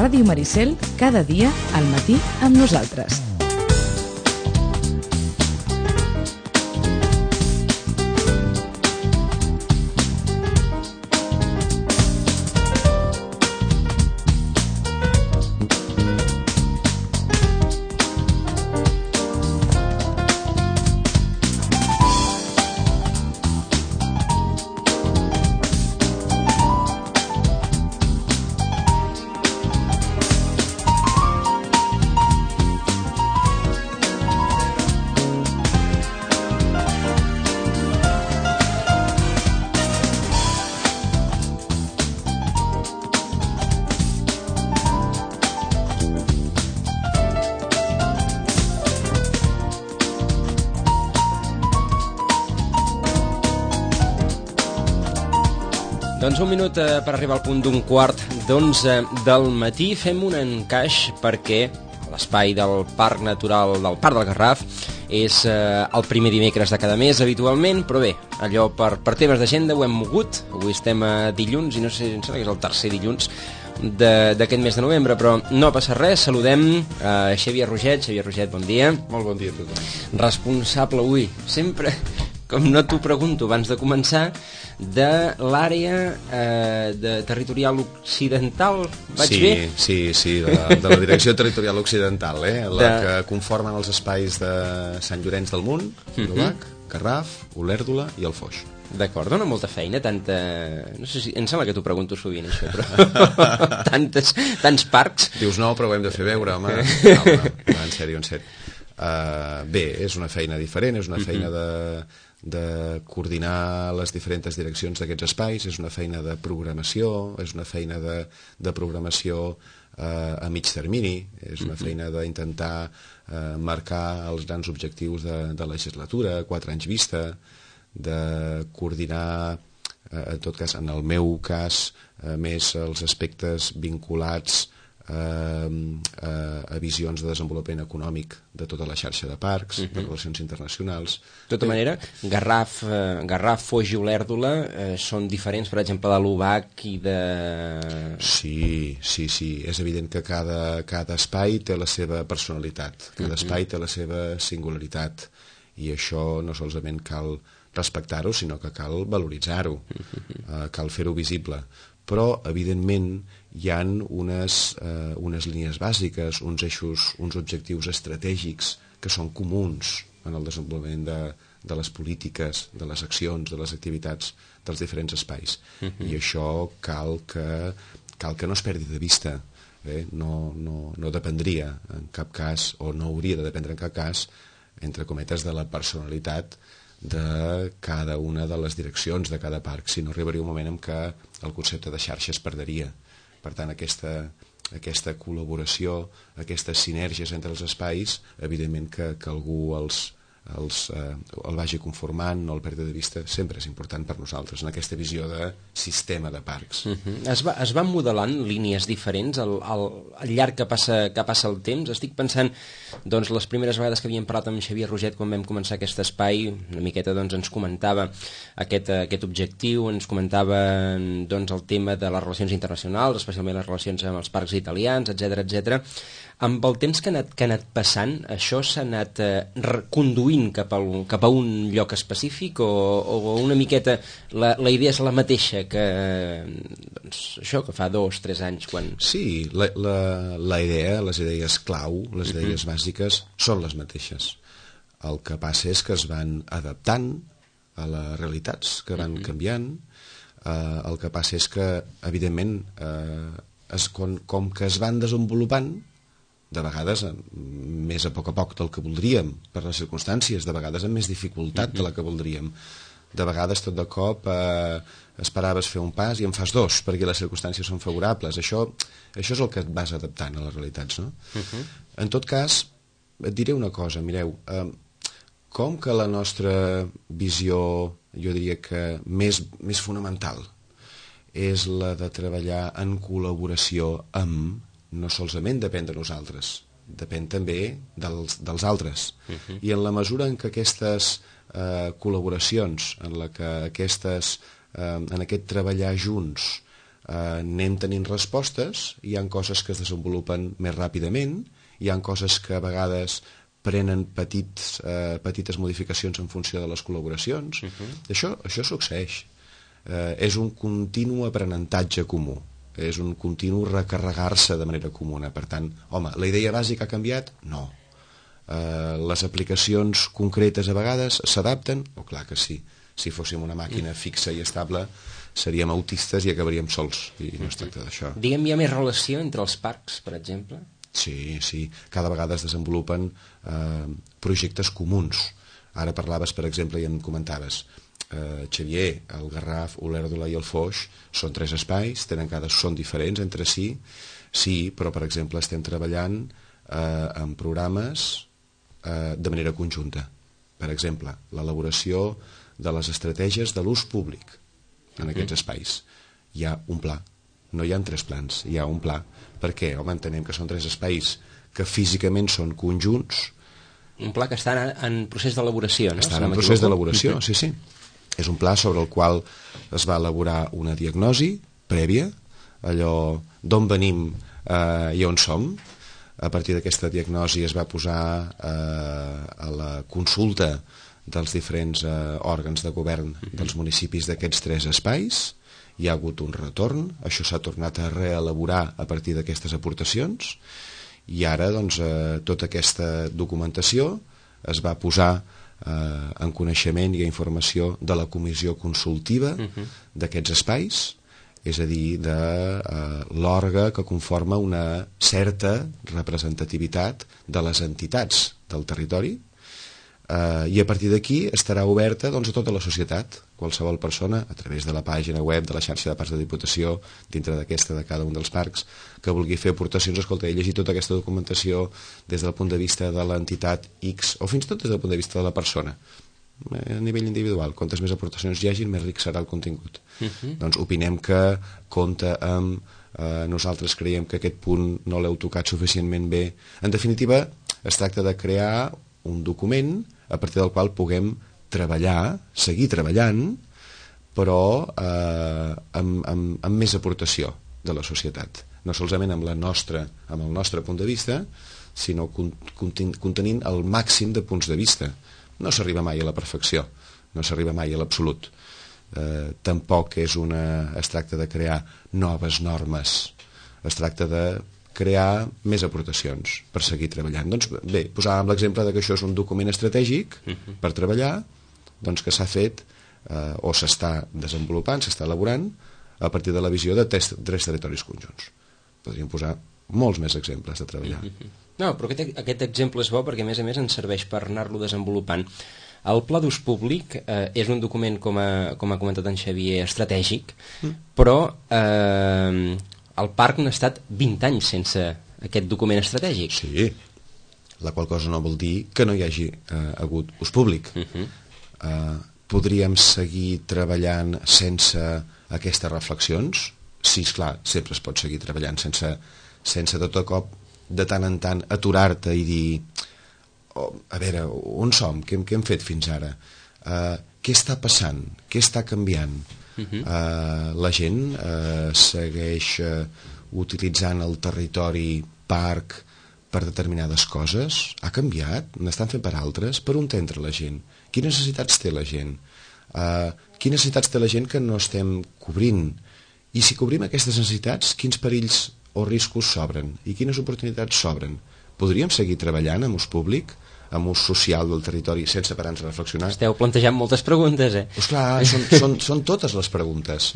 Ràdio Maricel, cada dia al matí amb nosaltres. Doncs un minut per arribar al punt d'un quart d'11 del matí. Fem un encaix perquè l'espai del Parc Natural del Parc del Garraf és el primer dimecres de cada mes habitualment, però bé, allò per temes d'agenda ho hem mogut. Avui estem a dilluns i no sé, em sembla que és el tercer dilluns d'aquest mes de novembre, però no passa res. Saludem a Xavier Roget. Xavier Roget, bon dia. Molt bon dia a tothom. Responsable avui, sempre, com no t'ho pregunto abans de començar, de l'àrea territorial occidental, vaig bé? Sí, de la Direcció Territorial Occidental, la que conformen els espais de Sant Llorenç del Munt, Novac, Garraf, Olèrdola i el Foix. D'acord, dona molta feina, tanta... No sé si... Em sembla que t'ho pregunto sovint, això, però... tants parcs... Dius no, però ho hem de fer veure, home. No, en sèrio. Bé, és una feina diferent, és una feina de coordinar les diferents direccions d'aquests espais, és una feina de programació, és una feina de programació a mig termini, és una feina d'intentar marcar els grans objectius de legislatura, a 4 anys vista, de coordinar, en tot cas, en el meu cas, més els aspectes vinculats a visions de desenvolupament econòmic de tota la xarxa de parcs, de relacions internacionals. De tota manera, Garraf, Foix i Olèrdola són diferents, per exemple, de l'Obac i de... Sí. És evident que cada espai té la seva personalitat, cada espai té la seva singularitat, i això no solament cal respectar-ho, sinó que cal valoritzar-ho, cal fer-ho visible. Però, evidentment, hi ha unes línies bàsiques, uns eixos, uns objectius estratègics que són comuns en el desenvolupament de les polítiques, de les accions, de les activitats dels diferents espais. I això cal que no es perdi de vista. No dependria en cap cas, o no hauria de dependre en cap cas, entre cometes, de la personalitat de cada una de les direccions de cada parc, si no arribaria un moment en què el concepte de xarxa es perdria. Per tant, aquesta col·laboració, aquestes sinergies entre els espais, evidentment que algú el vagi conformant, no el perdi de vista, sempre és important per nosaltres, en aquesta visió de sistema de parcs. Es van modelant línies diferents al llarg que passa el temps. Estic pensant, doncs, les primeres vegades que havíem parlat amb Xavier Roget quan vam començar aquest espai, una miqueta doncs, ens comentava aquest objectiu, ens comentava doncs, el tema de les relacions internacionals, especialment les relacions amb els parcs italians, etc. Amb el temps que ha anat passant, això s'ha anat conduint cap a un lloc específic o una miqueta la idea és la mateixa que doncs, això que fa 2 o 3 anys quan... Sí, la idea, les idees clau, les idees bàsiques són les mateixes. El que passa és que es van adaptant a les realitats, que van canviant. El que passa és que, evidentment, com que es van desenvolupant, de vegades més a poc del que voldríem, per les circumstàncies, de vegades amb més dificultat de la que voldríem. De vegades, tot de cop, esperaves fer un pas i en fas 2, perquè les circumstàncies són favorables. Això és el que et vas adaptant a les realitats, no? En tot cas, et diré una cosa, mireu, com que la nostra visió, jo diria que més fonamental, és la de treballar en col·laboració amb, no solament depèn de nosaltres, depèn també dels altres. I en la mesura en què aquestes col·laboracions, en aquest treballar junts, anem tenint respostes, hi ha coses que es desenvolupen més ràpidament, hi ha coses que a vegades prenen petites modificacions en funció de les col·laboracions. Això succeeix. És un continu aprenentatge comú, és un continu recarregar-se de manera comuna. Per tant, home, la idea bàsica ha canviat? No. Les aplicacions concretes a vegades s'adapten? Oh, clar que sí. Si fóssim una màquina fixa i estable seríem autistes i acabaríem sols, i no es tracta d'això. Diguem, hi ha més relació entre els parcs, per exemple? Sí. Cada vegada es desenvolupen projectes comuns. Ara parlaves, per exemple, i em comentaves, Xavier, el Garraf, Olèrdola i el Foix són 3 espais, són diferents entre si, sí, però per exemple estem treballant en programes de manera conjunta. Per exemple, l'elaboració de les estratègies de l'ús públic en aquests espais. Hi ha un pla, no hi ha 3 plans, hi ha un pla. Per què? Home, entenem que són 3 espais que físicament són conjunts. Un pla que està en procés d'elaboració, no? Està en procés d'elaboració, sí. És un pla sobre el qual es va elaborar una diagnosi prèvia, allò d'on venim i on som. A partir d'aquesta diagnosi es va posar a la consulta dels diferents òrgans de govern dels municipis d'aquests 3 espais. Hi ha hagut un retorn, això s'ha tornat a reelaborar a partir d'aquestes aportacions, i ara doncs, tota aquesta documentació es va posar en coneixement i informació de la comissió consultiva d'aquests espais, és a dir, de l'òrgan que conforma una certa representativitat de les entitats del territori, i a partir d'aquí estarà oberta doncs, a tota la societat. Qualsevol persona, a través de la pàgina web de la xarxa de parcs de Diputació, dintre d'aquesta de cada un dels parcs, que vulgui fer aportacions, escolta, he llegit tota aquesta documentació des del punt de vista de l'entitat X, o fins i tot des del punt de vista de la persona, a nivell individual. Quantes més aportacions hi hagin, més ric serà el contingut. Doncs opinem que compta amb... nosaltres creiem que aquest punt no l'heu tocat suficientment bé. En definitiva, es tracta de crear un document a partir del qual puguem treballar, seguir treballant, però amb més aportació de la societat. No solament amb el nostre punt de vista, sinó contenint el màxim de punts de vista. No s'arriba mai a la perfecció, no s'arriba mai a l'absolut. Tampoc es tracta de crear noves normes, es tracta de crear més aportacions per seguir treballant. Doncs bé, posàvem l'exemple que això és un document estratègic per treballar, doncs que s'ha fet o s'està desenvolupant, s'està elaborant a partir de la visió de 3 territoris conjunts. Podríem posar molts més exemples de treballar. No, però aquest exemple és bo perquè a més ens serveix per anar-lo desenvolupant. El Pla d'Ús Públic és un document, com ha comentat en Xavier, estratègic, però el parc n'ha estat 20 anys sense aquest document estratègic. Sí, la qual cosa no vol dir que no hi hagi hagut ús públic. Podríem seguir treballant sense aquestes reflexions? Sí, esclar, sempre es pot seguir treballant sense de tot cop, de tant en tant, aturar-te i dir a veure, on som? Què hem fet fins ara? Què està passant? Què està canviant? La gent segueix utilitzant el territori parc per determinades coses? Ha canviat? N'estan fent per altres? Per on entra la gent? Quines necessitats té la gent? Quines necessitats té la gent que no estem cobrint? I si cobrim aquestes necessitats, quins perills o riscos s'obren? I quines oportunitats s'obren? Podríem seguir treballant amb ús públic, amb ús social del territori, sense parar-nos a reflexionar? Esteu plantejant moltes preguntes, eh? Pues clar, són totes les preguntes.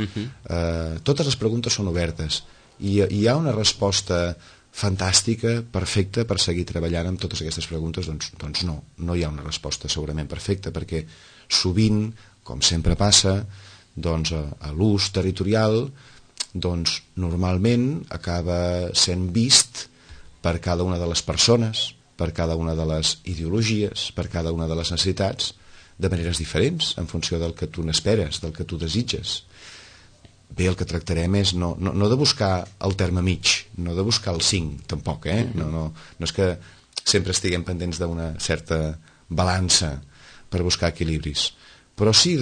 Totes les preguntes són obertes. I hi ha una resposta fantàstica, perfecta, per seguir treballant amb totes aquestes preguntes? Doncs no hi ha una resposta segurament perfecta, perquè sovint, com sempre passa, doncs a l'ús territorial doncs normalment acaba sent vist per cada una de les persones, per cada una de les ideologies, per cada una de les necessitats, de maneres diferents, en funció del que tu n'esperes, del que tu desitges. Bé, el que tractarem és no de buscar el terme mig, no de buscar el 5, tampoc, No és que sempre estiguem pendents d'una certa balança per buscar equilibris, però sí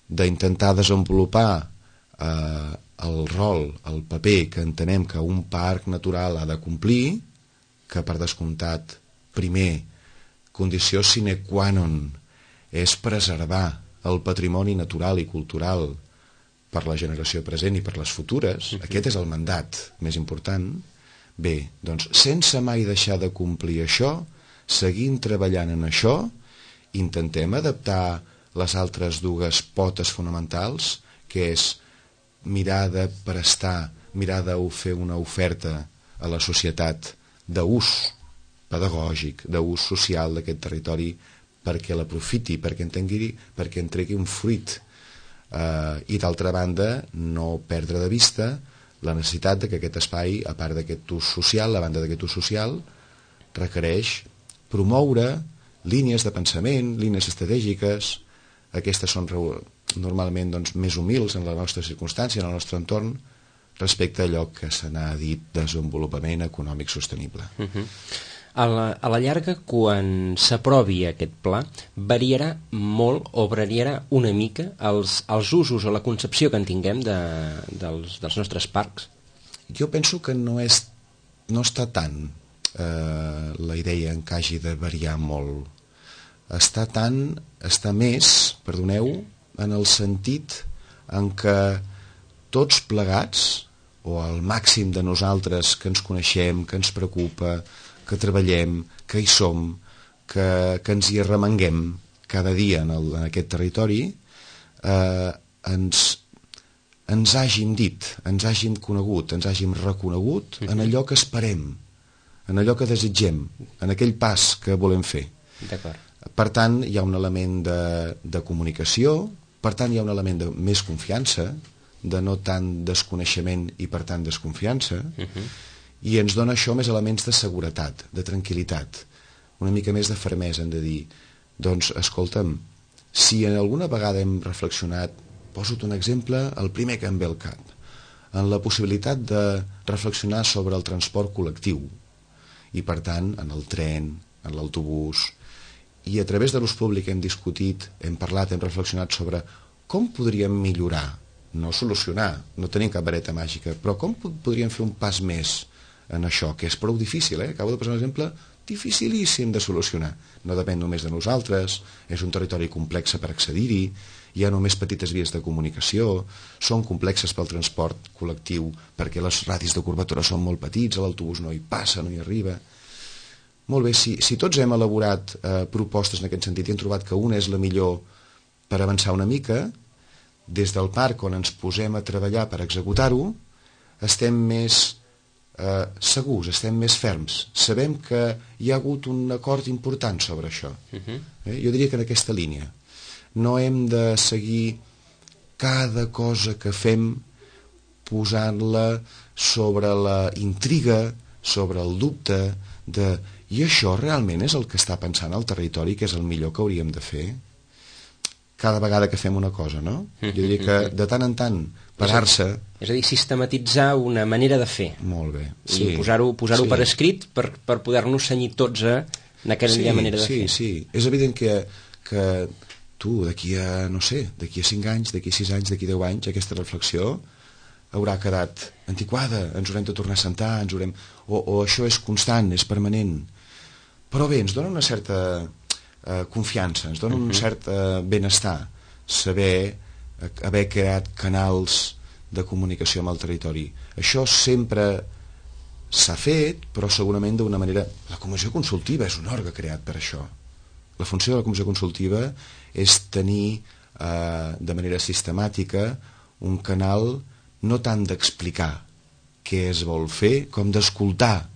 d'intentar desenvolupar el rol, el paper que entenem que un parc natural ha de complir, que per descomptat, primer, condició sine qua non és preservar el patrimoni natural i cultural per la generació present i per les futures. Aquest és el mandat més important. Bé, doncs, sense mai deixar de complir això, seguint treballant en això, intentem adaptar les altres dues potes fonamentals, que és mirar de prestar, mirar de fer una oferta a la societat d'ús pedagògic, d'ús social d'aquest territori, perquè l'aprofiti, perquè en tregui un fruit. I d'altra banda, no perdre de vista la necessitat de que aquest espai, a part d'aquest ús social, la banda d'aquest ús social, requereix promoure línies de pensament, línies estratègiques. Aquestes són normalment més humils en la nostra circumstància, en el nostre entorn, respecte a allò que se n'ha dit desenvolupament econòmic sostenible. A la llarga, quan s'aprovi aquest pla, variarà molt o variarà una mica els usos o la concepció que en tinguem dels nostres parcs? Jo penso que no està tant la idea en que hagi de variar molt. Està més, perdoneu, en el sentit en què tots plegats, o el màxim de nosaltres que ens coneixem, que ens preocupa, que treballem, que hi som, que ens hi arremanguem cada dia en aquest territori, ens hàgim dit, ens hàgim conegut, ens hàgim reconegut en allò que esperem, en allò que desitgem, en aquell pas que volem fer. D'acord. Per tant, hi ha un element de comunicació, per tant, hi ha un element de més confiança, de no tant desconeixement i, per tant, desconfiança, i ens dona això més elements de seguretat, de tranquil·litat, una mica més de fermesa, hem de dir, doncs, escolta'm, si alguna vegada hem reflexionat, poso-te un exemple, el primer que em ve al cap, en la possibilitat de reflexionar sobre el transport col·lectiu, i, per tant, en el tren, en l'autobús, i a través de l'ús públic hem discutit, hem parlat, hem reflexionat sobre com podríem millorar, no solucionar, no tenim cap vareta màgica, però com podríem fer un pas més en això, que és prou difícil, acabo de posar un exemple dificilíssim de solucionar, no depèn només de nosaltres, és un territori complex per accedir-hi, hi ha només petites vies de comunicació, són complexes pel transport col·lectiu perquè les radis de curvatura són molt petits, l'autobús no hi passa, no hi arriba. Molt bé, si tots hem elaborat propostes en aquest sentit i hem trobat que una és la millor per avançar una mica, des del parc on ens posem a treballar per executar-ho, estem més segurs, estem més ferms. Sabem que hi ha hagut un acord important sobre això. Jo diria que en aquesta línia. No hem de seguir cada cosa que fem posant-la sobre la intriga, sobre el dubte i això realment és el que està pensant el territori, que és el millor que hauríem de fer cada vegada que fem una cosa, no? Jo diria que de tant en tant parar-se... És a dir, sistematitzar una manera de fer. Molt bé. Sí. I posar-ho per escrit per poder-nos cenyir tots a aquella manera de fer. Sí. És evident que tu, d'aquí a 5 anys, d'aquí a 6 anys, d'aquí a 10 anys, aquesta reflexió haurà quedat antiquada, ens haurem de tornar a sentar, o això és constant, és permanent. Però bé, ens dona una certa confiança, ens dona un cert benestar saber haver creat canals de comunicació amb el territori. Això sempre s'ha fet, però segurament d'una manera... La comissió consultiva és un òrgan creat per això. La funció de la comissió consultiva és tenir de manera sistemàtica un canal no tant d'explicar què es vol fer, com d'escoltar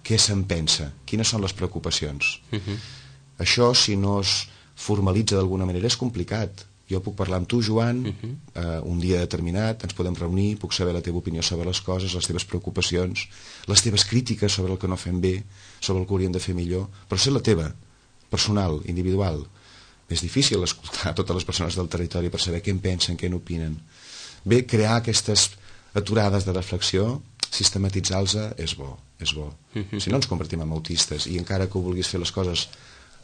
què se'n pensa, quines són les preocupacions. Això, si no es formalitza d'alguna manera, és complicat. Jo puc parlar amb tu, Joan, un dia determinat, ens podem reunir, puc saber la teva opinió sobre les coses, les teves preocupacions, les teves crítiques sobre el que no fem bé, sobre el que hauríem de fer millor, però ser la teva, personal, individual. És difícil escoltar totes les persones del territori per saber què en pensen, què n'opinen. Bé, crear aquestes aturades de reflexió, sistematitzar-los és bo, és bo. Si no ens convertim en autistes, i encara que vulguis fer les coses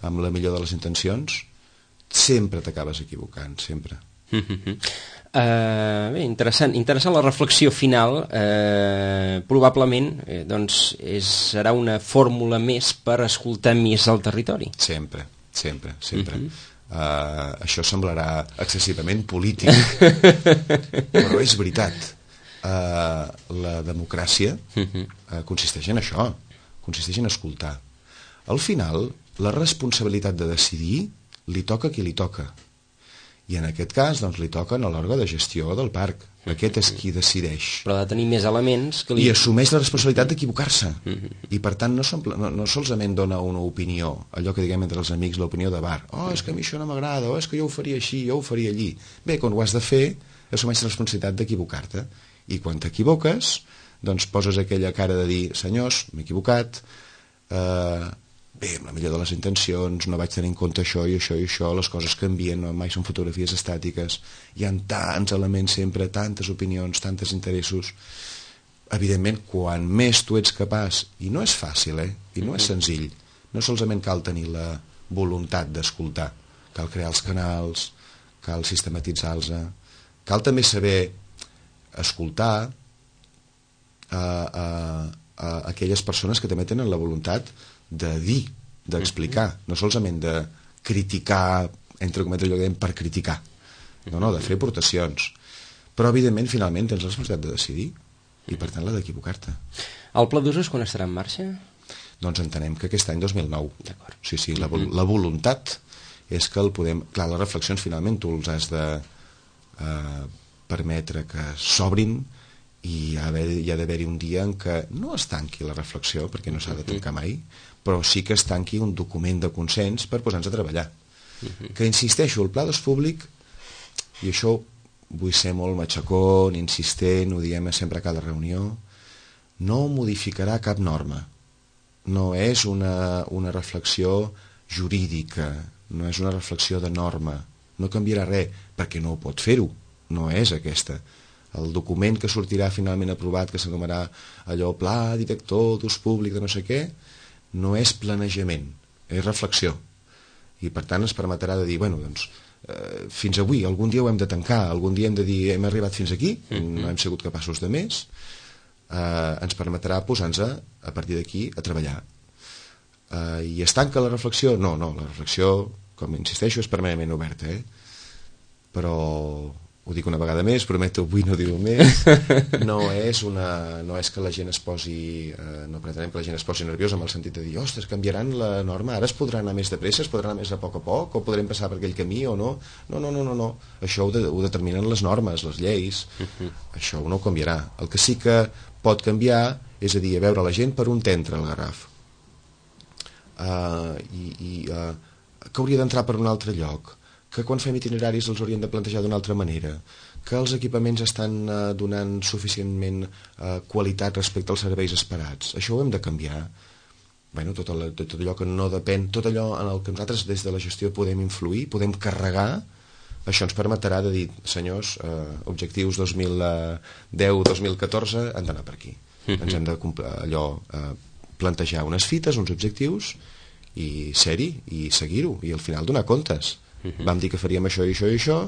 amb la millor de les intencions, sempre t'acabes equivocant, sempre. Bé, interessant la reflexió final. Probablement doncs serà una fórmula més per escoltar més el territori. Sempre. Això semblarà excessivament polític, però és veritat. La democràcia consisteix en això, consisteix en escoltar. Al final, la responsabilitat de decidir li toca a qui li toca. I en aquest cas, doncs, li toquen a l'òrgan de gestió del parc. Aquest és qui decideix. Però ha de tenir més elements que I assumeix la responsabilitat d'equivocar-se. I per tant no solament dona una opinió, allò que diguem entre els amics, l'opinió de bar. Oh, és que a mi això no m'agrada, oh, és que jo ho faria així, jo ho faria allí. Bé, quan ho has de fer, assumeix la responsabilitat d'equivocar-te. I quan t'equivoques, doncs poses aquella cara de dir, senyors, m'he equivocat, bé, amb la millor de les intencions, no vaig tenir en compte això i això i això, les coses canvien, no mai són fotografies estàtiques, hi ha tants elements sempre, tantes opinions, tantes interessos. Evidentment, quan més tu ets capaç, i no és fàcil, i no és senzill, no solament cal tenir la voluntat d'escoltar, cal crear els canals, cal sistematitzar-los, cal també saber escoltar aquelles persones que també tenen la voluntat de dir, d'explicar, no solament de criticar, entre cometes allò que dèiem, per criticar, no, de fer aportacions, però evidentment finalment tens la responsabilitat de decidir i per tant la d'equivocar-te. El Pla d'Usos quan estarà en marxa? Doncs entenem que aquest any 2009. D'acord. Sí, la voluntat és que el podem... Clar, les reflexions finalment tu els has de permetre que s'obrin i hi ha d'haver-hi un dia en què no es tanqui la reflexió, perquè no s'ha de tancar mai, però sí que es tanqui un document de consens per posar-nos a treballar. Que insisteixo, el pla d'ús públic, i això vull ser molt matxacón, insistent, ho diem sempre a cada reunió, no modificarà cap norma. No és una reflexió jurídica, no és una reflexió de norma, no canviarà res, perquè no ho pot fer-ho, no és aquesta. El document que sortirà finalment aprovat, que s'anomenarà allò pla director d'ús públic de no sé què, no és planejament, és reflexió. I per tant ens permetrà de dir, bueno, doncs, fins avui, algun dia ho hem de tancar, algun dia hem de dir hem arribat fins aquí, no hem sigut capaços de més, ens permetrà posar-nos a partir d'aquí a treballar. I es tanca la reflexió? No, la reflexió, com insisteixo, és permanentment oberta, però ho dic una vegada més, prometo avui no dir-ho més, no és que la gent es posi, no pretenem que la gent es posi nerviosa amb el sentit de dir, ostres, canviaran la norma, ara es podrà anar més de pressa, es podrà anar més a poc, o podrem passar per aquell camí o no. No. Això ho determinen les normes, les lleis, això no ho canviarà. El que sí que pot canviar és a dir, a veure la gent per on t'entra el Garraf. Que hauria d'entrar per un altre lloc, que quan fem itineraris els haurien de plantejar d'una altra manera, que els equipaments estan donant suficientment qualitat respecte als serveis esperats. Això ho hem de canviar. Bueno, tot allò que no depèn, tot allò en el que nosaltres des de la gestió podem influir, podem carregar, això ens permetrà de dir, senyors, objectius 2010-2014 han d'anar per aquí. Ens hem de plantejar unes fites, uns objectius, i ser-hi, i seguir-ho, i al final donar comptes. Vam dir que faríem això i això i això,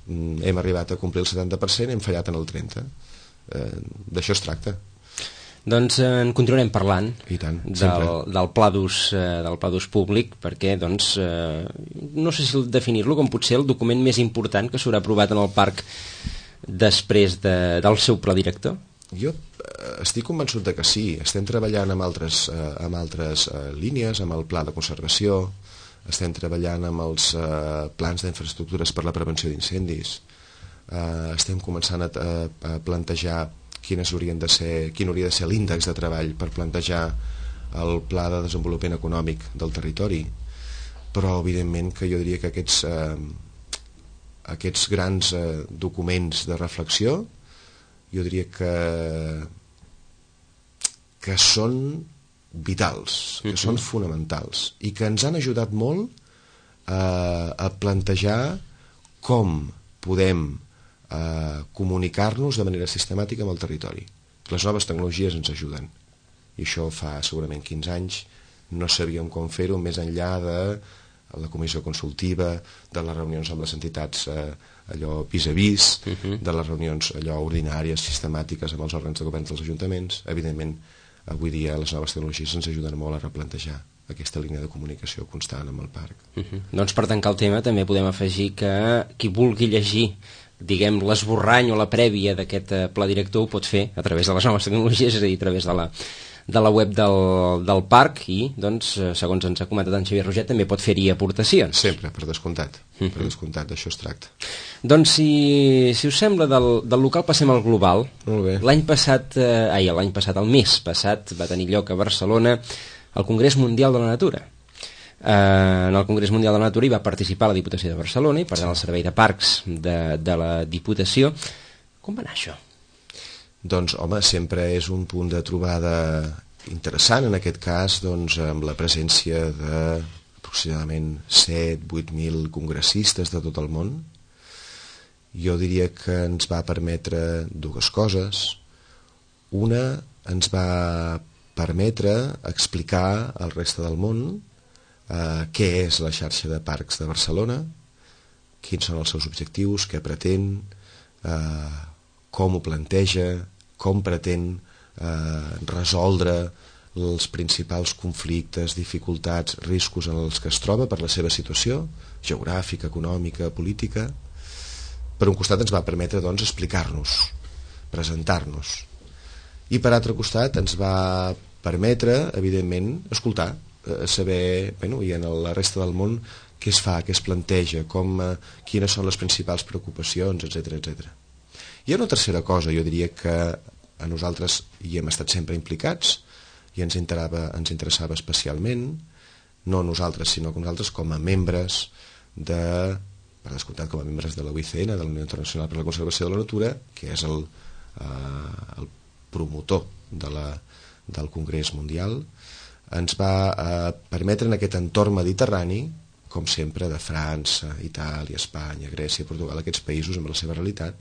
hem arribat a complir el 70%, hem fallat en el 30%. D'això es tracta. Doncs en continuarem parlant. I tant, del pla d'ús públic, perquè doncs, no sé si definir-lo com potser el document més important que s'haurà aprovat en el parc després del seu pla director. Jo estic convençut de que sí. Estem treballant amb altres línies, amb el pla de conservació, estem treballant amb els plans d'infraestructures per la prevenció d'incendis, estem començant a plantejar quin hauria de ser l'índex de treball per plantejar el pla de desenvolupament econòmic del territori, però evidentment que jo diria que aquests grans documents de reflexió jo diria que són vitals, que són fonamentals i que ens han ajudat molt a plantejar com podem comunicar-nos de manera sistemàtica amb el territori. Les noves tecnologies ens ajuden i això fa segurament 15 anys no sabíem com fer-ho més enllà de la comissió consultiva, de les reunions amb les entitats allò vis a vis, de les reunions allò ordinàries, sistemàtiques amb els òrgans de govern dels ajuntaments. Evidentment, avui dia les noves tecnologies ens ajuden molt a replantejar aquesta línia de comunicació constant amb el parc. Doncs per tancar el tema també podem afegir que qui vulgui llegir diguem l'esborrany o la prèvia d'aquest pla director ho pot fer a través de les noves tecnologies, és a dir, a través de la web del parc i, doncs, segons ens ha comentat en Xavier Roget, també pot fer-hi aportacions. Sempre, per descomptat. Per descomptat, d'això es tracta. Doncs, si us sembla, del local passem al global. Molt bé. L'any passat, el mes passat, va tenir lloc a Barcelona el Congrés Mundial de la Natura. En el Congrés Mundial de la Natura hi va participar la Diputació de Barcelona i per tant el Servei de Parcs de la Diputació. Com va anar això? Doncs, home, sempre és un punt de trobada interessant, en aquest cas, doncs, amb la presència d'aproximadament 7-8.000 congressistes de tot el món. Jo diria que ens va permetre dues coses. Una, ens va permetre explicar al reste del món què és la xarxa de parcs de Barcelona, quins són els seus objectius, què pretén, com ho planteja, com pretén resoldre els principals conflictes, dificultats, riscos en els que es troba per la seva situació geogràfica, econòmica, política. Per un costat ens va permetre, doncs, explicar-nos, presentar-nos. I per altre costat ens va permetre, evidentment, escoltar, saber, i en la resta del món, què es fa, què es planteja, quines són les principals preocupacions, etc etc. Hi ha una tercera cosa, jo diria que a nosaltres hi hem estat sempre implicats i ens interessava especialment, no nosaltres, sinó que nosaltres com a membres per descomptat com a membres de la UICN, de la Unió Internacional per a la Conservació de la Natura, que és el promotor del Congrés Mundial, ens va permetre en aquest entorn mediterrani, com sempre de França, Itàlia, Espanya, Grècia, Portugal, aquests països amb la seva realitat,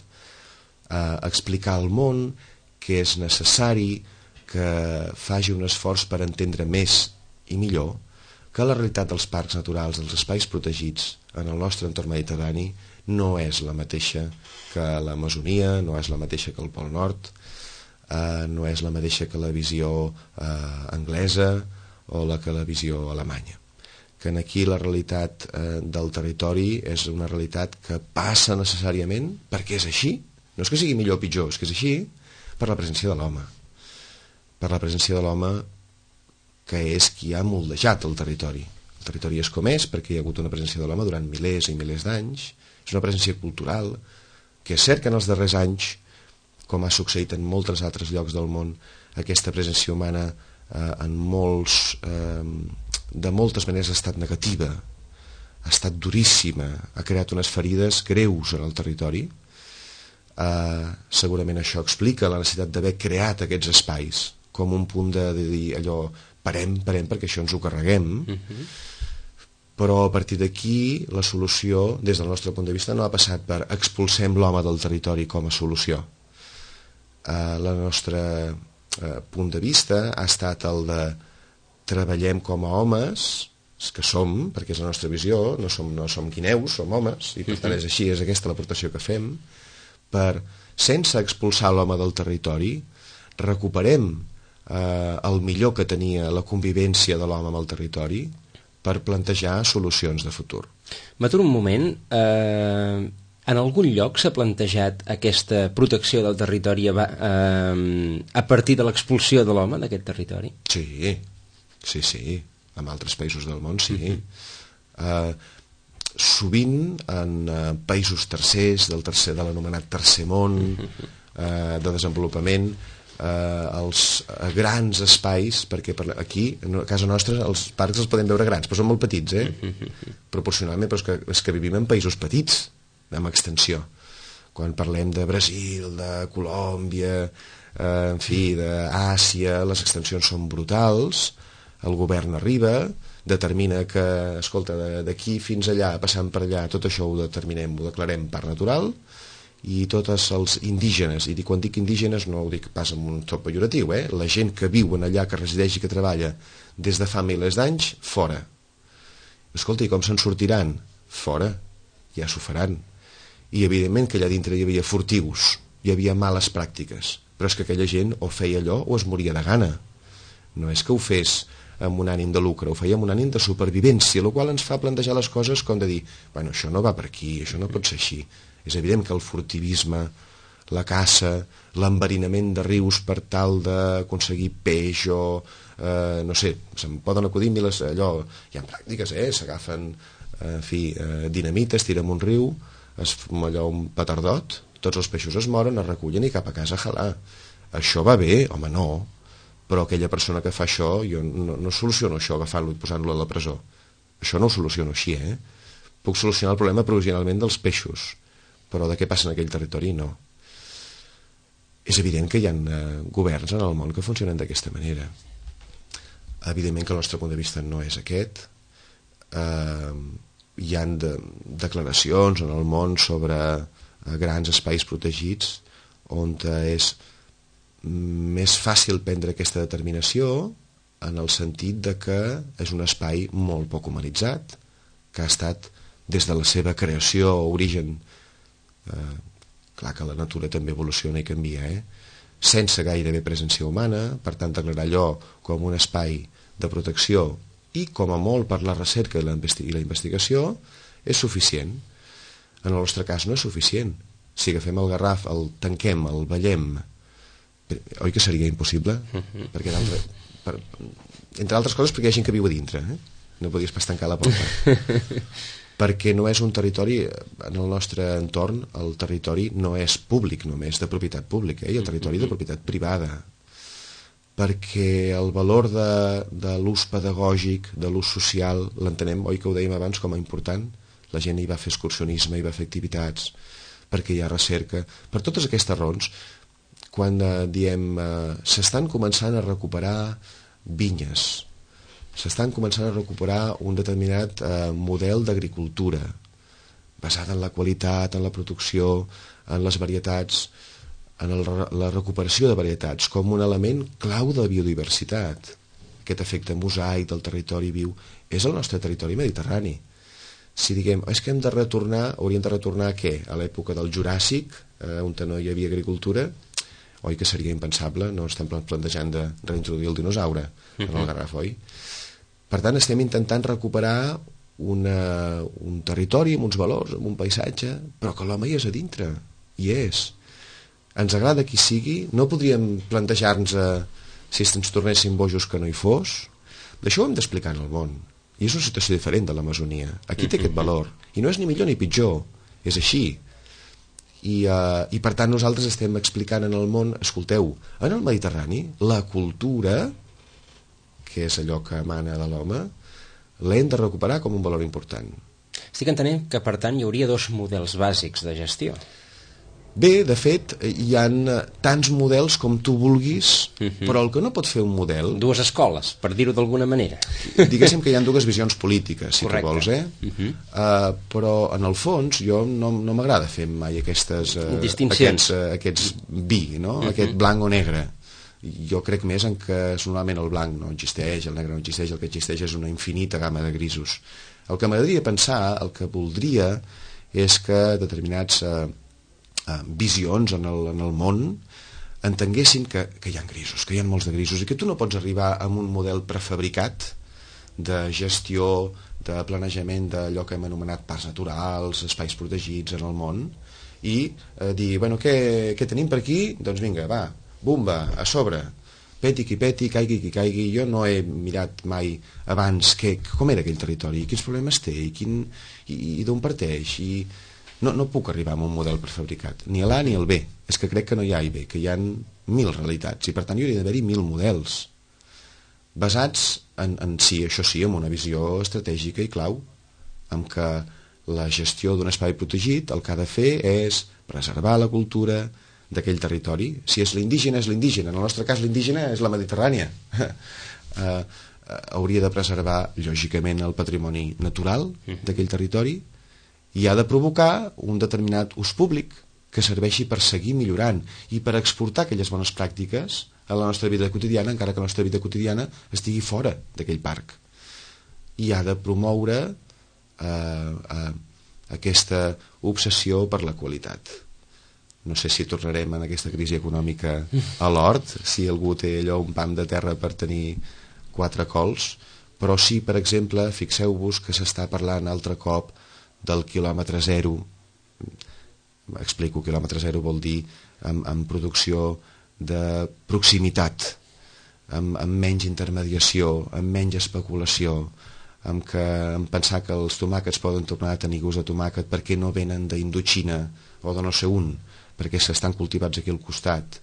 explicar al món que és necessari que faci un esforç per entendre més i millor que la realitat dels parcs naturals, dels espais protegits en el nostre entorn mediterrani no és la mateixa que l'Amazonia, no és la mateixa que el Pol Nord, no és la mateixa que la visió anglesa o que la visió alemanya. Que aquí la realitat del territori és una realitat que passa necessàriament, perquè és així, no és que sigui millor o pitjor, és que és així, per la presència de l'home. Per la presència de l'home que és qui ha moldejat el territori. El territori és com és perquè hi ha hagut una presència de l'home durant milers i milers d'anys, és una presència cultural, que és cert que en els darrers anys, com ha succeït en molts altres llocs del món, aquesta presència humana de moltes maneres ha estat negativa, ha estat duríssima, ha creat unes ferides greus en el territori. Segurament això explica la necessitat d'haver creat aquests espais com un punt de dir allò, parem perquè això ens ho carreguem. Però a partir d'aquí la solució, des del nostre punt de vista, no ha passat per expulsem l'home del territori com a solució. El nostre punt de vista ha estat el de treballem com a homes que som, perquè és la nostra visió, no som guineus, som homes, i per tant és així, és aquesta l'aportació que fem, sense expulsar l'home del territori, recuperem el millor que tenia la convivència de l'home amb el territori per plantejar solucions de futur. M'aturo un moment. En algun lloc s'ha plantejat aquesta protecció del territori a partir de l'expulsió de l'home d'aquest territori? Sí. En altres països del món, sí. Sovint en països tercers, de l'anomenat tercer món, de desenvolupament, els grans espais, perquè aquí, a casa nostra, els parcs els podem veure grans, però són molt petits, proporcionalment, però és que vivim en països petits, amb extensió. Quan parlem de Brasil, de Colòmbia, en fi, d'Àsia, les extensions són brutals, el govern arriba, determina que, escolta, d'aquí fins allà, passant per allà, tot això ho determinem, ho declarem parc natural, i tots els indígenes, i quan dic indígenes no ho dic pas amb un to pejoratiu, la gent que viu allà, que resideix i que treballa des de fa milers d'anys, fora. Escolta, i com se'n sortiran? Fora, ja s'ho faran. I evidentment que allà dintre hi havia furtius, hi havia males pràctiques, però és que aquella gent o feia allò o es moria de gana. No és que ho fes amb un ànim de lucre, ho feia amb un ànim de supervivència, el qual ens fa plantejar les coses com de dir, bueno, això no va per aquí, això no pot ser així. És evident que el furtivisme, la caça, l'enverinament de rius per tal d'aconseguir peix o, no sé, se'n poden acudir miles, allò, hi ha pràctiques, s'agafen, dinamita, es tira en un riu, es fuma allò un petardot, tots els peixos es moren, es recullen i cap a casa a jalar. Això va bé? Home, no. Però aquella persona que fa això, jo no soluciono això agafant-lo i posant-lo a la presó. Això no ho soluciono així, Puc solucionar el problema provisionalment dels peixos, però de què passa en aquell territori, no. És evident que hi ha governs en el món que funcionen d'aquesta manera. Evidentment que el nostre punt de vista no és aquest. Hi ha declaracions en el món sobre grans espais protegits on és més fàcil prendre aquesta determinació en el sentit de que és un espai molt poc humanitzat, que ha estat des de la seva creació o origen, clar que la natura també evoluciona i canvia, sense gairebé presència humana, per tant declarar allò com un espai de protecció i com a molt per la recerca i la investigació és suficient. En el nostre cas no és suficient. Si agafem el Garraf, el tanquem, el ballem, oi que seria impossible? Perquè entre altres coses perquè hi ha gent que viu a dintre, no podies pas tancar la porta. Perquè no és un territori, en el nostre entorn el territori no és públic només, de propietat pública, i el territori de propietat privada, perquè el valor de l'ús pedagògic, de l'ús social, l'entenem, oi que ho dèiem abans, com a important. La gent hi va fer excursionisme, hi va fer activitats, perquè hi ha recerca. Per totes aquestes raons, quan diem s'estan començant a recuperar vinyes, s'estan començant a recuperar un determinat model d'agricultura basat en la qualitat, en la producció, en les varietats, en la recuperació de varietats com un element clau de biodiversitat. Aquest efecte mosaic del territori viu és el nostre territori mediterrani. Si diguem, és que hauríem de retornar a què? A l'època del Juràssic, on no hi havia agricultura, oi que seria impensable, no estem plantejant de reintroduir el dinosaure en el Garraf, oi? Per tant, estem intentant recuperar un territori amb uns valors, amb un paisatge, però que l'home hi és a dintre, hi és. Ens agrada qui sigui, no podríem plantejar-nos si ens tornéssim bojos que no hi fos. D'això ho hem d'explicar en el món, i és una situació diferent de l'Amazonia. Aquí té aquest valor, i no és ni millor ni pitjor, és així. I per tant nosaltres estem explicant en el món, escolteu, en el Mediterrani la cultura, que és allò que emana de l'home, l'hem de recuperar com un valor important. Estic entenent que per tant hi hauria dos models bàsics de gestió. Bé, de fet, hi ha tants models com tu vulguis, però el que no pot fer un model... Dues escoles, per dir-ho d'alguna manera. Diguéssim que hi ha dues visions polítiques, si correcte. Tu vols, però en el fons jo no m'agrada fer mai aquestes distincions, aquests bi, no? Aquest blanc o negre. Jo crec més en que normalment el blanc no existeix, el negre no existeix, el que existeix és una infinita gamma de grisos. El que m'agradaria pensar, el que voldria, és que determinats visions en el món entenguessin que hi ha grisos, que hi ha molts de grisos, i que tu no pots arribar a un model prefabricat de gestió, de planejament d'allò que hem anomenat parcs naturals, espais protegits en el món, i dir, bueno, què tenim per aquí? Doncs vinga, va, bumba, a sobre, peti qui peti, caigui qui caigui. Jo no he mirat mai abans com era aquell territori, quins problemes té, i d'on parteix, i no puc arribar a un model prefabricat, ni a l'A ni al B. És que crec que no hi ha A i B, que hi ha 1000 realitats, i per tant hi hauria d'haver-hi 1000 models basats en sí, això sí, en una visió estratègica i clau, en què la gestió d'un espai protegit el que ha de fer és preservar la cultura d'aquell territori. Si és l'indígena, és l'indígena. En el nostre cas l'indígena és la mediterrània. Hauria de preservar lògicament el patrimoni natural d'aquell territori, i ha de provocar un determinat ús públic que serveixi per seguir millorant i per exportar aquelles bones pràctiques a la nostra vida quotidiana, encara que la nostra vida quotidiana estigui fora d'aquell parc. i ha de promoure aquesta obsessió per la qualitat. No sé si tornarem en aquesta crisi econòmica a l'hort, si algú té allò un pam de terra per tenir 4 cols, però sí, per exemple, fixeu-vos que s'està parlant altre cop del quilòmetre zero. Explico, quilòmetre zero vol dir amb producció de proximitat, amb menys intermediació, amb menys especulació, amb pensar que els tomàquets poden tornar a tenir gust de tomàquet perquè no venen d'Indoxina o de no sé on, perquè s'estan cultivats aquí al costat,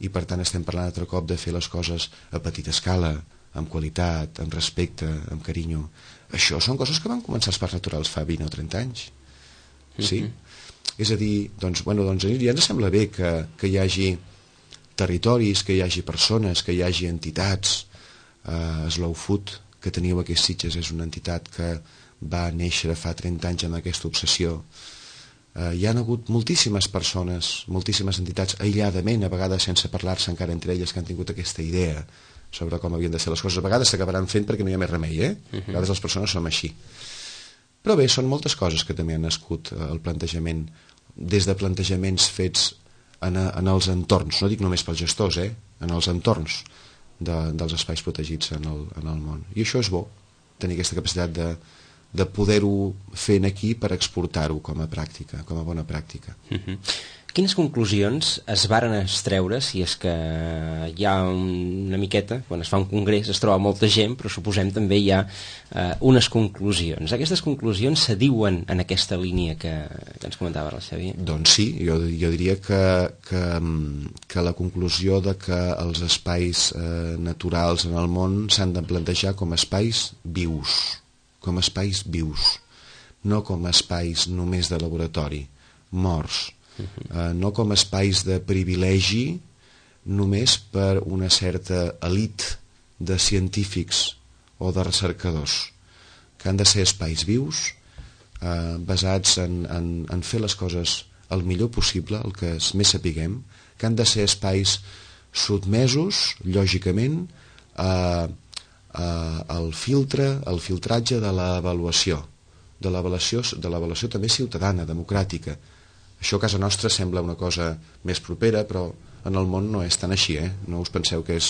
i per tant estem parlant altre cop de fer les coses a petita escala, amb qualitat, amb respecte, amb carinyo. Això són coses que van començar els parcs naturals fa 20 o 30 anys. Sí? És a dir, doncs ja ens sembla bé que hi hagi territoris, que hi hagi persones, que hi hagi entitats. Slow Food, que teniu aquí a Sitges, és una entitat que va néixer fa 30 anys amb aquesta obsessió. Hi ha hagut moltíssimes persones, moltíssimes entitats, aïlladament, a vegades sense parlar-se encara entre elles, que han tingut aquesta idea sobre com havien de ser les coses. A vegades s'acabaran fent perquè no hi ha més remei, A vegades les persones som així. Però bé, són moltes coses que també han nascut el plantejament, des de plantejaments fets en els entorns, no dic només pels gestors, en els entorns dels espais protegits en el món. I això és bo, tenir aquesta capacitat de poder-ho fer aquí per exportar-ho com a pràctica, com a bona pràctica. Quines conclusions es varen extreure, si és que hi ha una miqueta, quan es fa un congrés es troba molta gent, però suposem també hi ha unes conclusions. Aquestes conclusions se diuen en aquesta línia que ens comentava el Xavier? Doncs sí, jo diria que la conclusió de que els espais naturals en el món s'han de plantejar com espais vius, no com espais només de laboratori, morts, no com espais de privilegi només per una certa elit de científics o de recercadors, que han de ser espais vius, basats en fer les coses el millor possible, el que més sapiguem, que han de ser espais sotmesos, lògicament, al filtratge de l'avaluació, de l'avaluació també ciutadana, democràtica. Això a casa nostra sembla una cosa més propera, però en el món no és tan així, no us penseu que és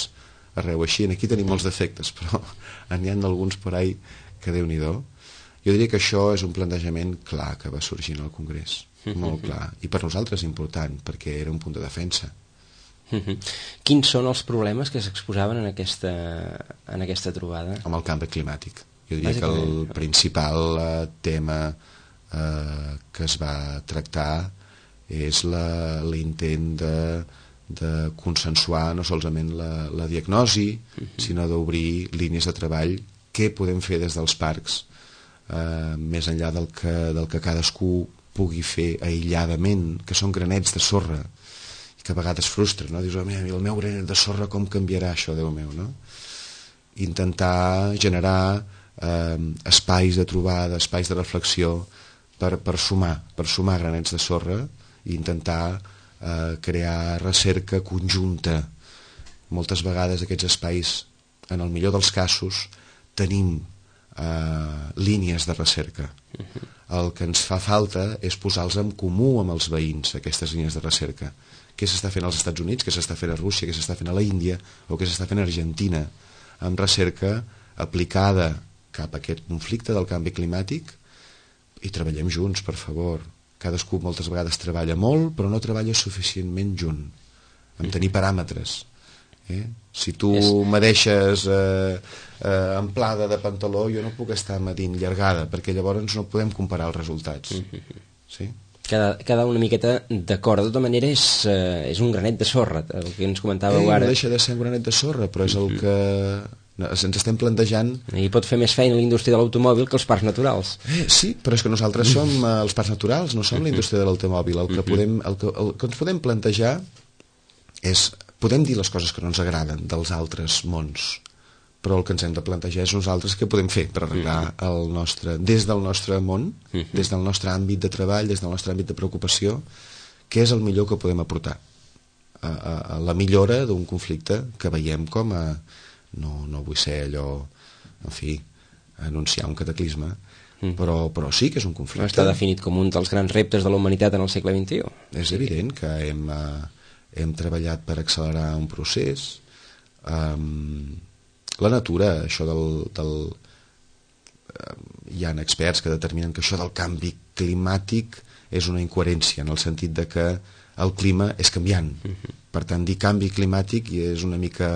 arreu així. Aquí tenim molts defectes, però n'hi ha alguns per ahí que Déu-n'hi-do. Jo diria que això és un plantejament clar que va sorgir en el Congrés, molt clar, i per nosaltres important, perquè era un punt de defensa. Quins són els problemes que s'exposaven en aquesta trobada? Amb el canvi climàtic. Jo diria que el principal tema que es va tractar és l'intent de consensuar no solament la diagnosi, sinó d'obrir línies de treball. Què podem fer des dels parcs, més enllà del que cadascú pugui fer aïlladament, que són granets de sorra, que a vegades frustra, no? Dius, el meu granet de sorra com canviarà això, Déu meu, no? Intentar generar espais de trobada, espais de reflexió per sumar granets de sorra i intentar crear recerca conjunta. Moltes vegades aquests espais, en el millor dels casos, tenim línies de recerca. El que ens fa falta és posar-los en comú amb els veïns, aquestes línies de recerca. Què s'està fent als Estats Units, què s'està fent a Rússia, què s'està fent a la Índia o què s'està fent a Argentina, amb recerca aplicada cap a aquest conflicte del canvi climàtic, i treballem junts, per favor. Cadascú moltes vegades treballa molt, però no treballa suficientment junt, en tenir paràmetres. Si tu me deixes amplada de pantaló, jo no puc estar medint llargada, perquè llavors no podem comparar els resultats. Sí? Cada una miqueta d'acord. De tota manera és un granet de sorra, el que ens comentàveu ara. No deixa de ser un granet de sorra, però és el que ens estem plantejant. I pot fer més feina la indústria de l'automòbil que els parcs naturals. Sí, però és que nosaltres som els parcs naturals, no som la indústria de l'automòbil. El que ens podem plantejar és, podem dir les coses que no ens agraden dels altres mons, però el que ens hem de plantejar és nosaltres què podem fer per arreglar des del nostre món, des del nostre àmbit de treball, des del nostre àmbit de preocupació, què és el millor que podem aportar a la millora d'un conflicte que veiem com a, no vull ser allò, en fi, anunciar un cataclisme, però sí que és un conflicte. Està definit com un dels grans reptes de la humanitat en el segle XXI. És evident que hem treballat per accelerar un procés. La natura, això hi ha experts que determinen que això del canvi climàtic és una incoherència, en el sentit de que el clima és canviant. Per tant, dir canvi climàtic és una mica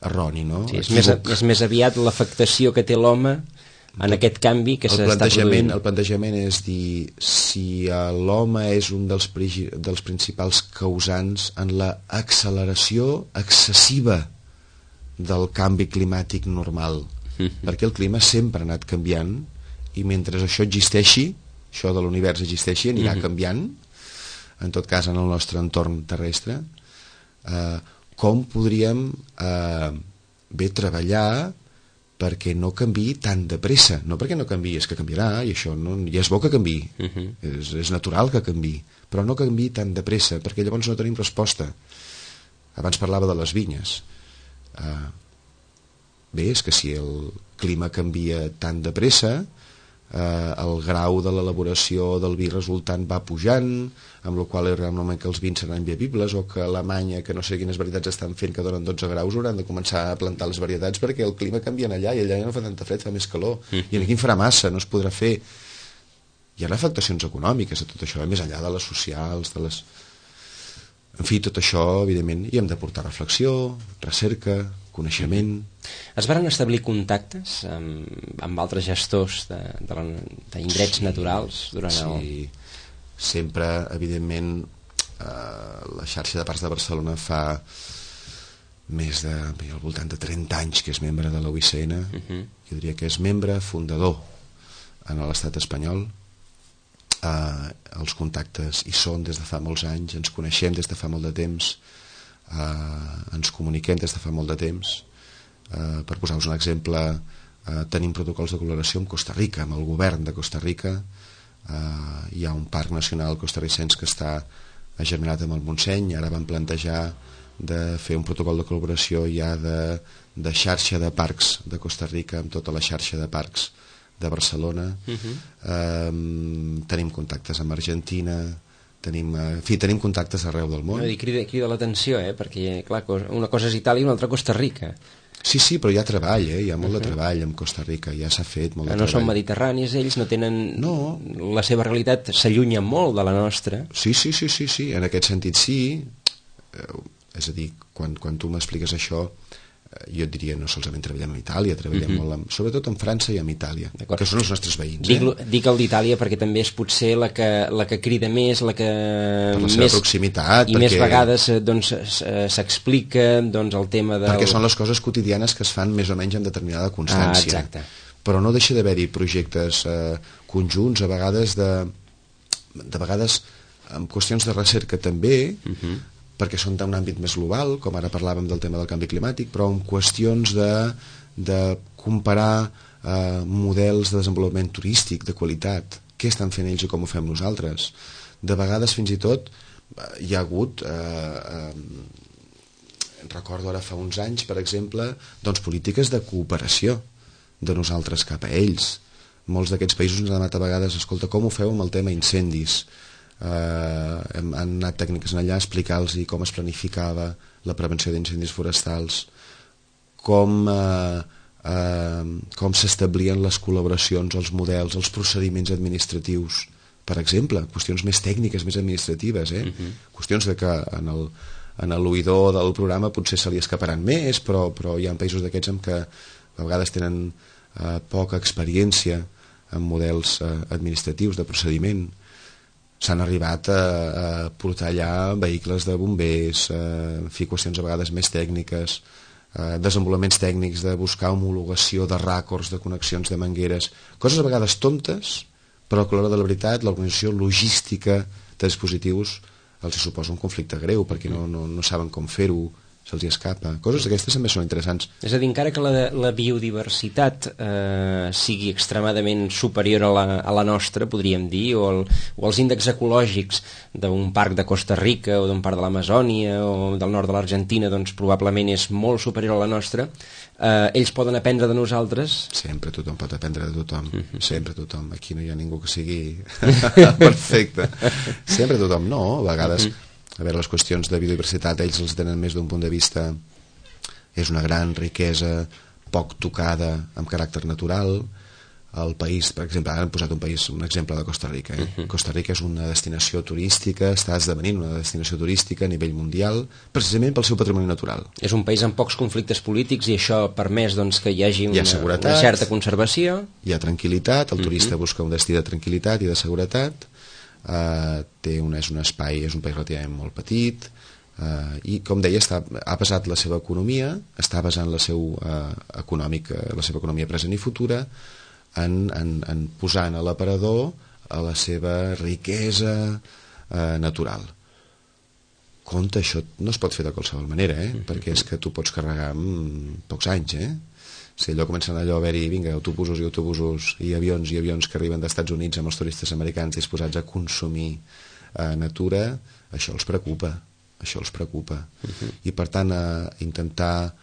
erroni, no? Sí, és més aviat l'afectació que té l'home en aquest canvi que s'està produint. El plantejament és dir si l'home és un dels principals causants en l'acceleració excessiva del canvi climàtic normal, perquè el clima sempre ha anat canviant i mentre això existeixi, això de l'univers existeixi, anirà canviant, en tot cas en el nostre entorn terrestre. Com podríem treballar perquè no canviï tan de pressa, no perquè no canviï, és que canviarà i això ja és bo que canviï, és natural que canviï, però no canviï tan de pressa perquè llavors no tenim resposta. Abans parlava de les vinyes. Bé, és que si el clima canvia tan de pressa, el grau de l'elaboració del vi resultant va pujant, amb la qual cosa realment que els vins seran bevibles, o que a Alemanya, que no sé quines varietats estan fent que donen 12 graus, hauran de començar a plantar les varietats perquè el clima canvia allà i allà ja no fa tanta fred, fa més calor, i aquí en farà massa, no es podrà fer. Hi ha afectacions econòmiques a tot això, més enllà de les socials, en fi, tot això, evidentment, hi hem de portar reflexió, recerca, coneixement. Es van establir contactes amb altres gestors d'indrets naturals durant Sí, sempre, evidentment, la xarxa de parcs de Barcelona fa al voltant de 30 anys que és membre de la UICN. Jo diria que és membre fundador en l'estat espanyol. Els contactes hi són des de fa molts anys, ens coneixem des de fa molt de temps, ens comuniquem des de fa molt de temps. Per posar-vos un exemple, tenim protocols de col·laboració amb Costa Rica, amb el govern de Costa Rica. Hi ha un parc nacional costarricenc que està agermanat amb el Montseny. Ara van plantejar de fer un protocol de col·laboració ja de xarxa de parcs de Costa Rica amb tota la xarxa de parcs de Barcelona. Tenim contactes amb Argentina, tenim contactes arreu del món. Crida l'atenció, perquè clar, una cosa és Itàlia i una altra Costa Rica. Sí, però hi ha treball, hi ha molt de treball amb Costa Rica, ja s'ha fet molt de treball. No són mediterranis ells, no tenen... La seva realitat s'allunya molt de la nostra. Sí, en aquest sentit sí. És a dir, quan tu m'expliques això, jo et diria no solament treballem amb Itàlia, treballem molt sobretot amb França i amb Itàlia, que són els nostres veïns. Dic el d'Itàlia perquè també és potser la que crida més, la que per la seva proximitat i més vegades s'explica el tema del... Perquè són les coses quotidianes que es fan més o menys amb determinada constància. Exacte. Però no deixa d'haver-hi projectes conjunts, a vegades amb qüestions de recerca també, perquè són d'un àmbit més global, com ara parlàvem del tema del canvi climàtic, però en qüestions de comparar models de desenvolupament turístic de qualitat, què estan fent ells i com ho fem nosaltres. De vegades fins i tot hi ha hagut recordo ara fa uns anys, per exemple, polítiques de cooperació de nosaltres cap a ells. Molts d'aquests països ens han anat a vegades, escolta, com ho feu amb el tema incendis? Han anat tècniques allà a explicar-los com es planificava la prevenció d'incendis forestals, com s'establien les col·laboracions, els models, els procediments administratius, per exemple, qüestions més tècniques, més administratives, qüestions de que en l'oïdor del programa potser se li escaparan més, però hi ha països d'aquests en què a vegades tenen poca experiència en models administratius de procediment. S'han arribat a portar allà vehicles de bombers, qüestions a vegades més tècniques, desenvolupaments tècnics de buscar homologació de ràcords, de connexions de mangueres, coses a vegades tontes, però que a l'hora de la veritat l'organització logística de dispositius els suposa un conflicte greu perquè no saben com fer-ho, se'ls escapa. Coses d'aquestes també són interessants. És a dir, encara que la biodiversitat sigui extremadament superior a la nostra, podríem dir, o els índexs ecològics d'un parc de Costa Rica o d'un parc de l'Amazònia o del nord de l'Argentina, doncs probablement és molt superior a la nostra, ells poden aprendre de nosaltres. Sempre tothom pot aprendre de tothom, sempre tothom. Aquí no hi ha ningú que sigui perfecte. Sempre tothom, no, a vegades... A veure, les qüestions de biodiversitat ells els tenen més d'un punt de vista, és una gran riquesa poc tocada amb caràcter natural. El país, per exemple, ara hem posat un exemple de Costa Rica. Costa Rica és una destinació turística, està esdevenint una destinació turística a nivell mundial, precisament pel seu patrimoni natural. És un país amb pocs conflictes polítics i això ha permès doncs, que hi hagi una certa conservació. Hi ha tranquil·litat, el turista busca un destí de tranquil·litat i de seguretat. És un espai, és un país relativament molt petit, i com deia ha basat la seva economia, està basant la seva economia present i futura en posar en l'aparador a la seva riquesa natural. Compte, això no es pot fer de qualsevol manera, perquè és que tu pots carregar en pocs anys, si allò comencen allò a haver-hi, vinga, autobusos i avions que arriben dels Estats Units amb els turistes americans disposats a consumir natura, això els preocupa. I per tant intentar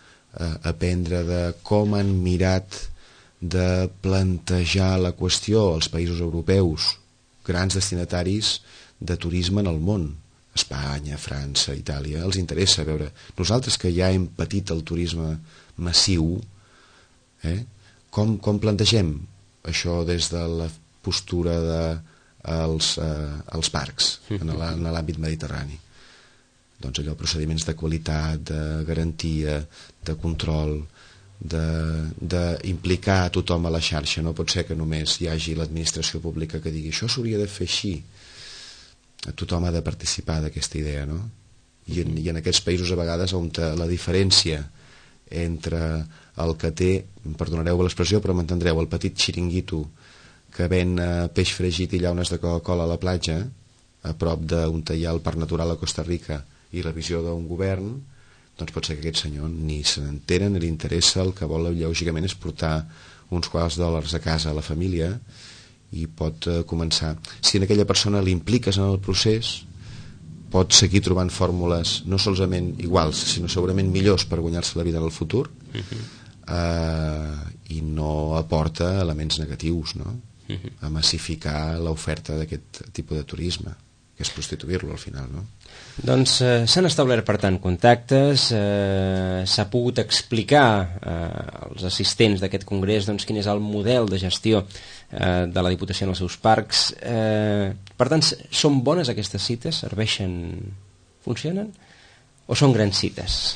aprendre de com han mirat de plantejar la qüestió als països europeus, grans destinataris de turisme en el món, Espanya, França, Itàlia, els interessa veure. Nosaltres que ja hem patit el turisme massiu, com plantegem això des de la postura dels parcs en l'àmbit mediterrani? Doncs allò, procediments de qualitat, de garantia, de control, d'implicar a tothom a la xarxa. No pot ser que només hi hagi l'administració pública que digui això s'hauria de fer així. Tothom ha de participar d'aquesta idea, no? I en aquests països a vegades on la diferència entre el que té, perdonareu l'expressió però m'entendreu, el petit xiringuito que ven peix fregit i llaunes de Coca-Cola a la platja a prop d'on hi ha el Parc Natural a Costa Rica i la visió d'un govern, doncs pot ser que aquest senyor ni se n'entera ni li interessa, el que vol lògicament és portar uns quants dòlars a casa a la família i pot començar, si en aquella persona l'impliques en el procés, pot seguir trobant fórmules no solament iguals, sinó segurament millors per guanyar-se la vida en el futur, i no aporta elements negatius, no? A massificar l'oferta d'aquest tipus de turisme, que és prostituir-lo al final, no? Doncs s'han establert, per tant, contactes, s'ha pogut explicar als assistents d'aquest congrés doncs, quin és el model de gestió de la Diputació en els seus parcs. Per tant, són bones aquestes cites? Serveixen? Funcionen? O són grans cites?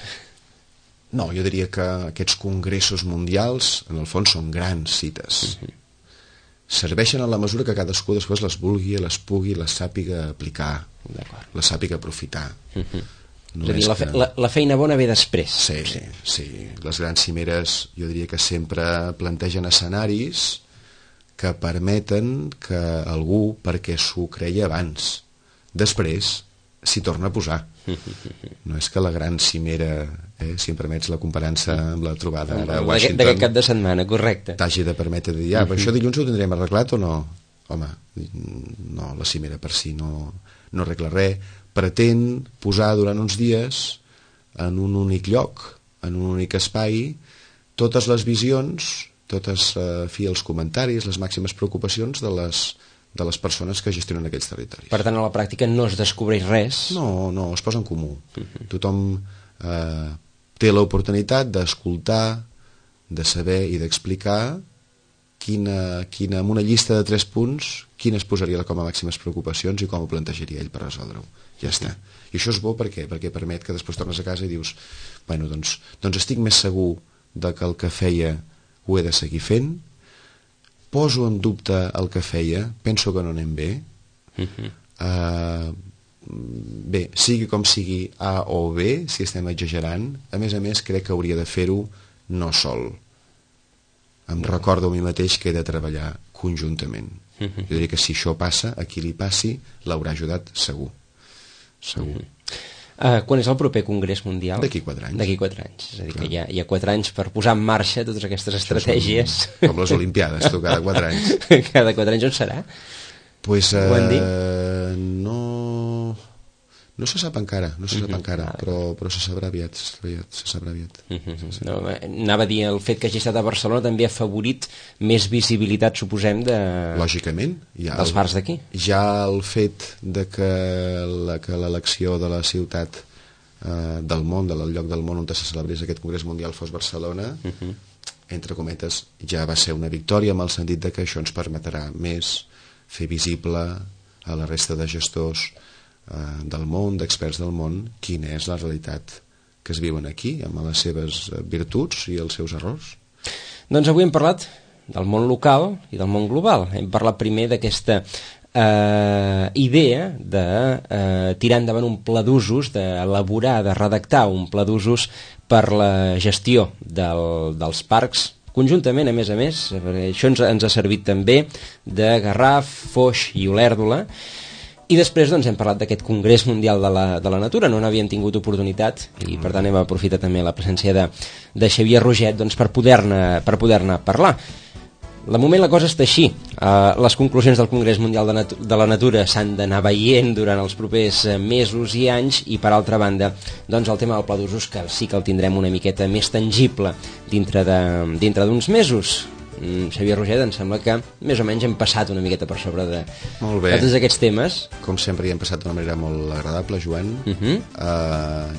No, jo diria que aquests congressos mundials, en el fons, són grans cites. Serveixen en la mesura que cadascú després les vulgui, les pugui, les sàpiga aplicar, les sàpiga aprofitar. No, és a dir, la feina bona ve després. Sí. Les grans cimeres jo diria que sempre plantegen escenaris que permeten que algú, perquè s'ho creia abans, després s'hi torna a posar. No és que la gran cimera, si em permets la comparança amb la trobada a Washington, d'aquest cap de setmana, correcte, t'hagi de permetre dir, però això dilluns ho tindrem arreglat o no? Home, no, la cimera per si no arregla res, pretén posar durant uns dies en un únic lloc, en un únic espai, totes les visions, els comentaris, les màximes preocupacions de les persones que gestionen aquells territoris. Per tant, a la pràctica no es descobreix res. No, es posa en comú. Tothom té l'oportunitat d'escoltar, de saber i d'explicar amb una llista de 3 punts quines posaria com a màximes preocupacions i com ho plantejaria ell per resoldre-ho. Ja està. I això és bo perquè permet que després tornes a casa i dius bueno, doncs estic més segur que el que feia ho he de seguir fent, poso en dubte el que feia, penso que no anem bé, bé, sigui com sigui A o B, si estem exagerant, a més crec que hauria de fer-ho no sol. Em recordo a mi mateix que he de treballar conjuntament. Jo diria que si això passa, a qui li passi l'haurà ajudat segur. Quan és el proper Congrés Mundial? D'aquí 4 anys. D'aquí 4 anys. És a dir, que hi ha 4 anys per posar en marxa totes aquestes estratègies. Com les Olimpiades, tu, cada 4 anys. Cada 4 anys on serà? Pues, Ho han dit? no se sap encara, però se sabrà aviat, se sabrà aviat. Sí. No, anava a dir, el fet que hagi estat a Barcelona també ha afavorit més visibilitat, suposem, lògicament, dels bars d'aquí. Ja el fet de que l'elecció de la ciutat del món, del lloc del món on se celebrés aquest Congrés Mundial fos Barcelona, entre cometes, ja va ser una victòria, amb el sentit de que això ens permetrà més fer visible a la resta de gestors del món, d'experts del món, quina és la realitat que es viuen aquí, amb les seves virtuts i els seus errors. Doncs avui hem parlat del món local i del món global. Hem parlat primer d'aquesta idea de tirar endavant un pla d'usos, d'elaborar, de redactar un pla d'usos per la gestió dels parcs, conjuntament, a més, perquè això ens ha servit també de Garraf, Foix i Olèrdola. I després doncs, hem parlat d'aquest Congrés Mundial de la Natura, no n'havíem tingut oportunitat i per tant hem aprofitat també la presència de Xavier Roget doncs, per poder-ne parlar. De moment la cosa està així. Les conclusions del Congrés Mundial de la Natura s'han d'anar veient durant els propers mesos i anys i per altra banda doncs, el tema del pla d'usos que sí que el tindrem una miqueta més tangible dintre d'uns mesos. Xavier Roget, em sembla que més o menys hem passat una miqueta per sobre de tots aquests temes. Com sempre hi hem passat d'una manera molt agradable, Joan.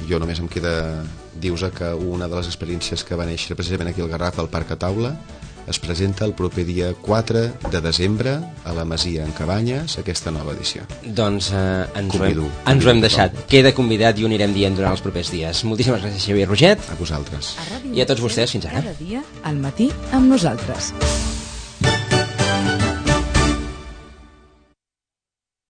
Jo només em queda dir-vos que una de les experiències que va néixer precisament aquí al Garraf, al Parc a Taula, es presenta el proper dia 4 de desembre a la Masia en Cabanyes, aquesta nova edició. Doncs ens ho hem deixat. Queda convidat i ho anirem dient durant els propers dies. Moltíssimes gràcies, Xavier Roget. A vosaltres. I a tots vostès, fins ara. Cada dia, al matí, amb nosaltres.